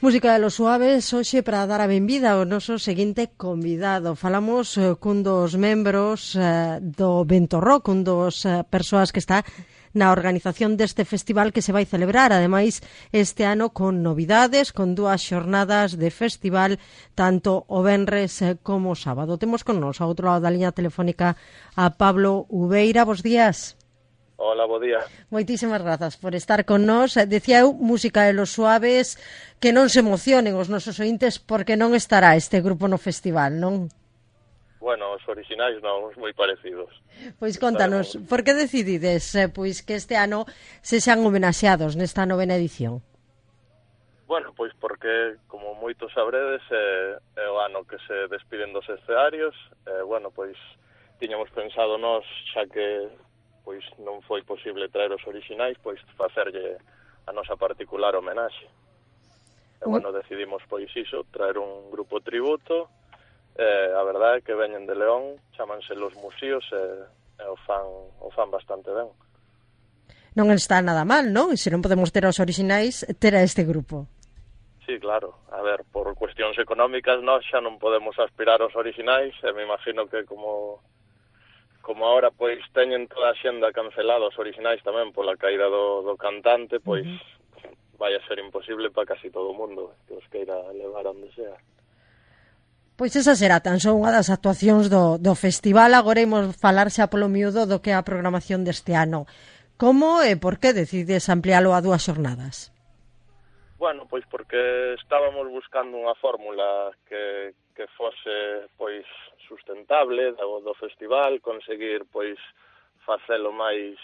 Música de los Suaves, hoxe para dar a benvida ao noso seguinte convidado. Falamos cun dos membros do Vento Rock, un dos persoas que está na organización deste festival que se vai celebrar, ademais, este ano con novidades, con 2 xornadas de festival, tanto o venres como o sábado. Temos con nos, ao outro lado da liña telefónica, a Pablo Ubeira. Bos días. Hola, bo día. Moitísimas grazas por estar con nós. Decía eu, Música de los Suaves, que non se emocionen os nosos ointes porque non estará este grupo no festival, non? Bueno, os orixinais non, os moi parecidos. Pois contanos, por que decidides pois que este ano se sean homenaxeados nesta novena edición? Bueno, pois porque, como moitos sabredes, é o ano que se despiden dos escenarios. Bueno, pois tiñamos pensado nós, xa que pois non foi posible traer os orixinais, pois facerlle a nosa particular homenaxe. E, bueno, decidimos, pois iso, traer un grupo tributo. A verdade é que veñen de León, chámanse Los Musíos, e o fan bastante ben. Non está nada mal, non? E se non podemos ter os orixinais, ter a este grupo. Sí, claro. A ver, por cuestións económicas, nós xa non podemos aspirar aos orixinais, e me imagino que como agora pois teñen toda a xenda cancelada os orixinais tamén pola caída do cantante, pois vai a ser imposible para casi todo o mundo que os queira levar onde sea. Pois esa será tan só unha das actuacións do festival. Agora imos falar xa polo miúdo do que é a programación deste ano. Como e por que decides ampliálo a 2 xornadas? Bueno, pois porque estábamos buscando unha fórmula que fose pois sustentable do festival, conseguir pois facelo máis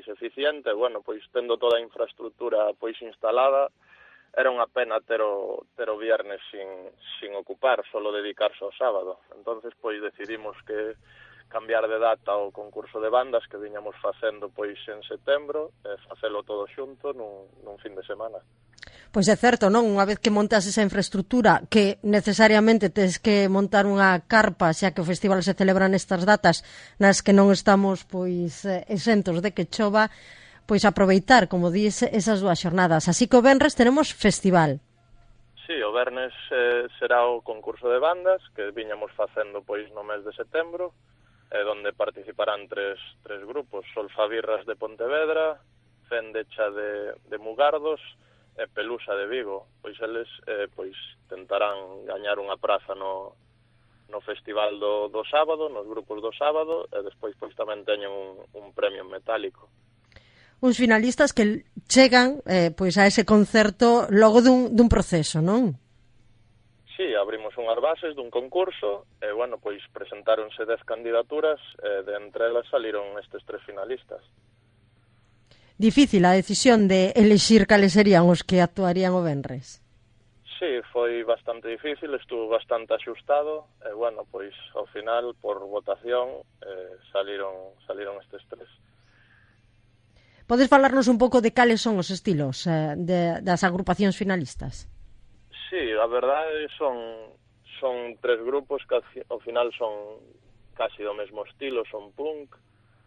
eficiente. Bueno, pois tendo toda a infraestructura pois instalada, era unha pena ter o viernes sin ocupar, solo dedicarse ao sábado. Entonces pois decidimos que cambiar de data o concurso de bandas que viñamos facendo pois en setembro e facelo todo xunto nun fin de semana. Pois é certo, non? Unha vez que montas esa infraestructura que necesariamente tes que montar unha carpa, xa que o festival se celebra nestas datas nas que non estamos pois exentos de que chova, pois aproveitar, como dis, esas 2 xornadas. Así que o venres tenemos festival. Sí, o vernes será o concurso de bandas que viñamos facendo pois no mes de setembro, donde participarán tres grupos, Solfabirras de Pontevedra, Fendecha de Mugardos e Pelusa de Vigo. Pois eles pois tentarán gañar unha praza no festival do sábado, nos grupos do sábado, e despois pois tamén teñen un premio metálico. Uns finalistas que chegan pois a ese concerto logo dun proceso, non? Sí, abrimos unhas bases dun concurso e, bueno, pois presentáronse 10 candidaturas e de entre elas saliron estes 3 finalistas. Difícil a decisión de elixir cales serían os que actuarían o venres. Sí, foi bastante difícil, estuvo bastante axustado e, bueno, pois ao final, por votación, saliron estes 3. Podes falarnos un pouco de cales son os estilos das agrupacións finalistas? Sí, a verdade son 3 grupos que ao final son casi do mesmo estilo, son punk.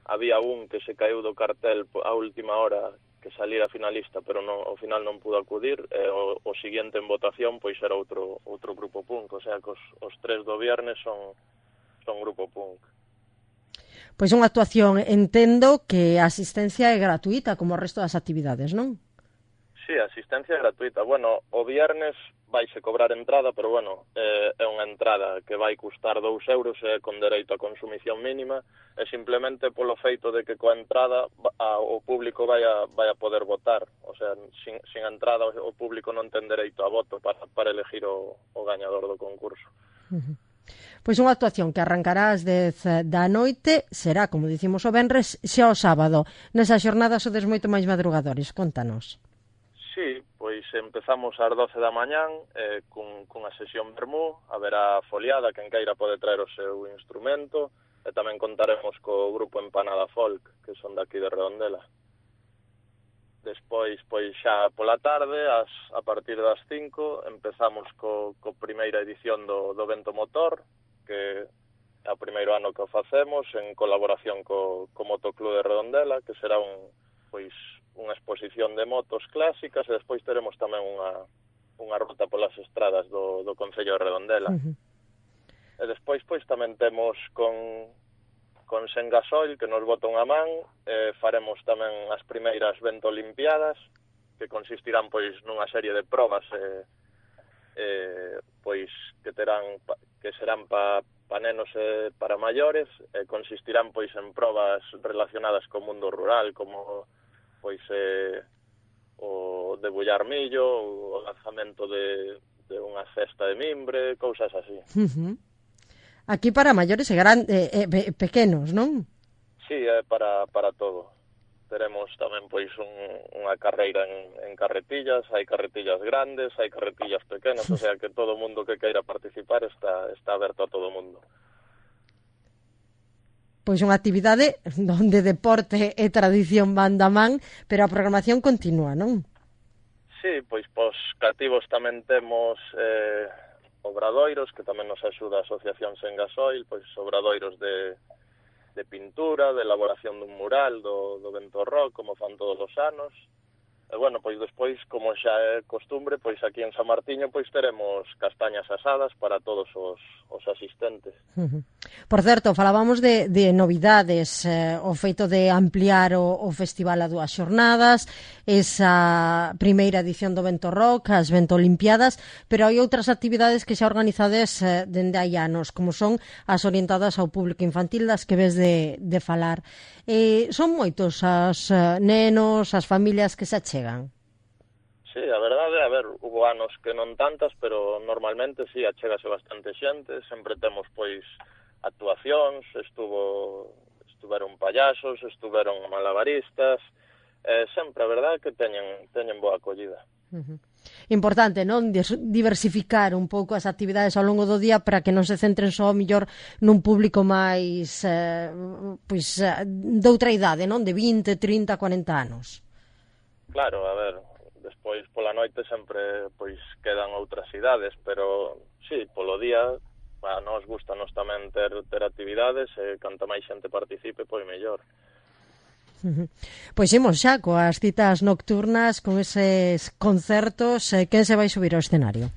Había un que se caeu do cartel a última hora que salira finalista, pero ao final non pudo acudir. O seguinte en votación pois era outro grupo punk, o sea que os 3 do viernes son grupo punk. Pois unha actuación, entendo que a asistencia é gratuita como o resto das actividades, non? Sí, a asistencia é gratuita. Bueno, o viernes vaise cobrar entrada, pero bueno, é unha entrada que vai custar 2 euros e con dereito a consumición mínima, e simplemente polo feito de que coa entrada o público vai a poder votar. O sea, sin entrada o público non ten dereito a voto para elegir o gañador do concurso. Pois unha actuación que arrancará ás 10 da noite, será, como dicimos o venres, xa o sábado. Nesa xornada sodes moito máis madrugadores, contanos. Sí, pois empezamos ás 12 da mañán cunha sesión vermú, haberá foliada, quen queira pode traer o seu instrumento, e tamén contaremos co grupo Empanada Folk, que son daqui de Redondela. Despois, pois xa pola tarde, a partir das 5, empezamos co primeira edición do Vento Motor, que é o primeiro ano que o facemos en colaboración co Motoclub de Redondela, que será unha exposición de motos clásicas, e despois teremos tamén unha ruta polas estradas do Concello de Redondela. E despois, pois, tamén temos con Sengasoil, que nos bota unha man, faremos tamén as primeiras Ventolimpiadas, que consistirán, pois, nunha serie de probas, pois, que serán pa nenos e para maiores, consistirán, pois, en probas relacionadas co mundo rural, como, pois, o debullar millo, o lanzamento de unha cesta de mimbre, cousas así. Aquí para maiores e pequenos, non? Sí, é para todo. Teremos tamén pois unha carreira en carretillas, hai carretillas grandes, hai carretillas pequenas, o sea que todo o mundo que queira participar está aberto a todo o mundo. Pois unha actividade onde deporte e tradición van da man, pero a programación continúa, non? Sí, pois pos cativos tamén temos obradoiros, que tamén nos axuda a Asociación Sengasoil, pois obradoiros de pintura, de elaboración dun mural do Ventorró, como fan todos os anos. E, bueno, pois despois, como xa é costumbre, pois aquí en San Martiño pois teremos castañas asadas para todos os asistentes. Por certo, falábamos de novidades, o feito de ampliar o festival a 2 xornadas, esa primeira edición do Ventorró, as Ventolimpiadas, pero hai outras actividades que xa organizades dende hai anos, como son as orientadas ao público infantil das que ves de falar. Son moitos as nenos, as familias que se achegan? Sí, a verdade, a ver, hubo anos que non tantas, pero normalmente sí, achégase bastante xente, sempre temos, pois, actuacións, estuveron payasos, estuveron malabaristas, sempre, a verdade, que teñen boa acollida. Importante, non? Diversificar un pouco as actividades ao longo do día para que non se centren só mellor nun público máis doutra idade, non? De 20, 30, 40 anos. Claro, a ver, despois pola noite sempre pois quedan outras idades, pero sí, polo día a nos gustanos tamén ter actividades e canta máis xente participe, pois mellor. Pois imos xa coas citas nocturnas, con eses concertos. Quen se vai subir ao escenario?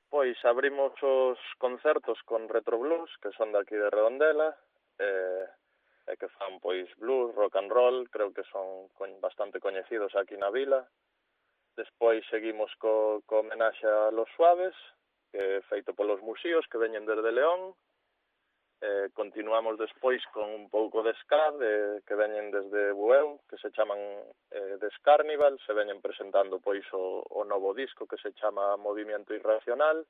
Pois abrimos os concertos con Retro Blues, que son de aquí de Redondela, e que fan pois blues, rock and roll, creo que son bastante coñecidos aquí na vila. Despois seguimos co homenaxe a Los Suaves, que é feito polos Musíos, que veñen desde León. Continuamos despois con un pouco de ska, que veñen desde Bueu, que se chaman The Scarnival, se veñen presentando pois o novo disco que se chama Movimiento Irracional.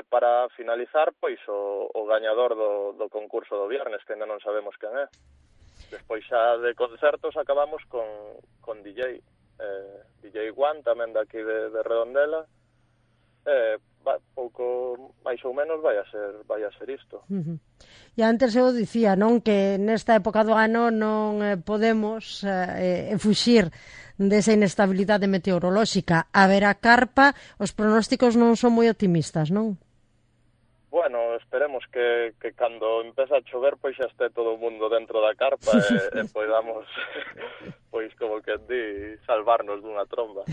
Para finalizar, pois o gañador do concurso do viernes, que ainda non sabemos quen é. Despois xa de concertos acabamos con DJ. DJ One, tamén daqui de Redondela. Pouco máis ou menos vai a ser isto. E antes eu dicía, non, que nesta época do ano non podemos fuxir desa inestabilidade meteorolóxica. Haberá carpa, os pronósticos non son moi optimistas, non? Bueno, esperemos que cando empeza a chover pois xa este todo o mundo dentro da carpa e poidamos, pois como que di, salvarnos dunha tromba.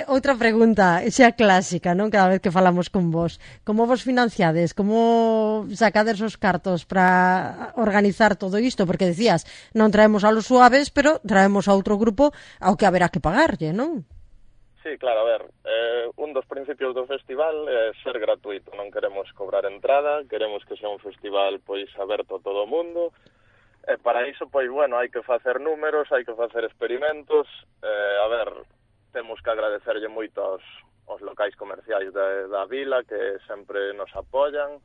Outra pregunta, xa clásica, non? Cada vez que falamos con vos. Como vos financiades? Como sacades os cartos para organizar todo isto? Porque decías, non traemos a Los Suaves, pero traemos a outro grupo ao que haberá que pagarlle, non? Sí, claro, a ver, un dos principios do festival é ser gratuito, non queremos cobrar entrada, queremos que sea un festival pois aberto a todo o mundo, e para iso, pois, bueno, hai que facer números, hai que facer experimentos, a ver, temos que agradecerlle moito aos locais comerciais da vila, que sempre nos apoian,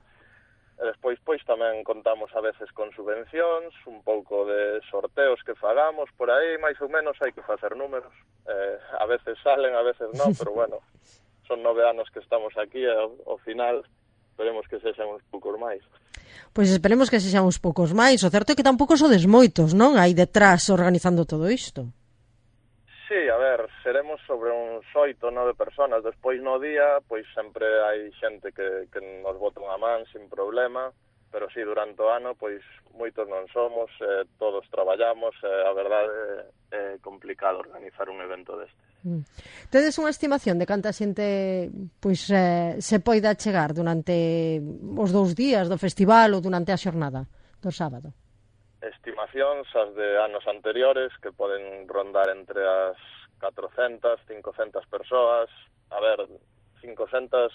e despois, pois, tamén contamos a veces con subvencións, un pouco de sorteos que fagamos, por aí, máis ou menos, hai que facer números. A veces salen, a veces non, pero bueno, son 9 anos que estamos aquí e ao final esperemos que sexan uns poucos máis. Pois esperemos que sexan uns poucos máis. O certo é que tampouco sodes moitos, non? Aí detrás organizando todo isto. Sí, a ver, seremos sobre uns 8 ou 9 personas. Despois no día, pois sempre hai xente que nos bota unha man sin problema. sí, durante o ano, pois, moitos non somos, todos traballamos, a verdade é complicado organizar un evento deste. Tedes unha estimación de canta xente pois se poida chegar durante os 2 días do festival ou durante a xornada do sábado? Estimacións as de anos anteriores que poden rondar entre as 400, 500 persoas. A ver, 500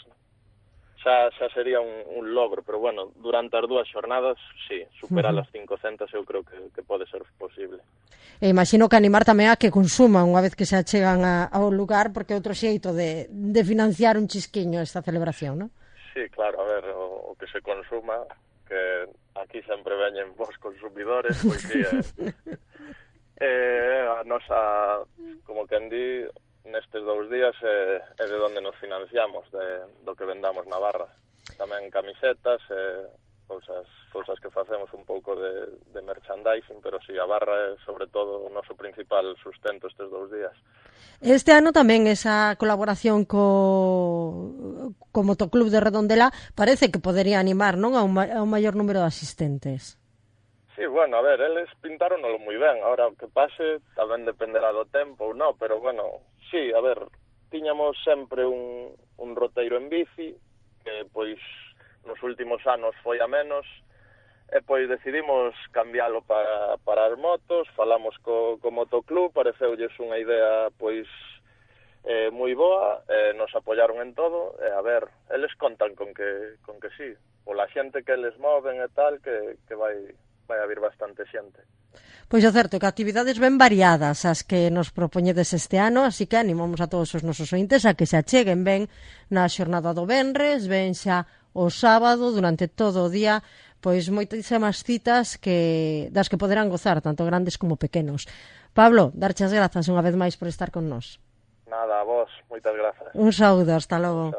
xa sería un logro, pero bueno, durante as 2 xornadas, sí, superar as 500 eu creo que pode ser posible. E imagino que animar tamén a que consuman unha vez que se achegan ao lugar, porque é outro xeito de financiar un chisquiño esta celebración, non? Sí, claro, a ver, o que se consuma, que aquí sempre veñen vos consumidores, pois sí, a nosa, como quen di, nestes 2 días é de onde nos financiamos, do que vendamos na barra. Tamén camisetas, cousas que facemos un pouco de merchandising, pero si, a barra é sobre todo o noso principal sustento estes 2 días. Este ano tamén esa colaboración co Motoclub de Redondela parece que podería animar, non, a un maior número de asistentes. Sí, bueno, a ver, eles pintáronolo moi ben. Ahora, o que pase tamén dependerá do tempo ou non, pero bueno, sí, a ver, tiñamos sempre un roteiro en bici, que pois nos últimos anos foi a menos, e pois decidimos cambiálo para as motos, falamos co Motoclub, pareceulles unha idea pois moi boa, nos apoyaron en todo, e a ver, eles contan con que sí, pola xente que eles moven e tal, que vai a vir bastante xente. Pois é certo que actividades ben variadas as que nos propoñedes este ano, así que animamos a todos os nosos ointes a que se acheguen ben na xornada do venres, ben xa o sábado, durante todo o día, pois moitísimas citas das que poderán gozar, tanto grandes como pequenos. Pablo, darche as grazas unha vez máis por estar con nós. Nada, a vos, moitas grazas. Un saúdo, hasta logo.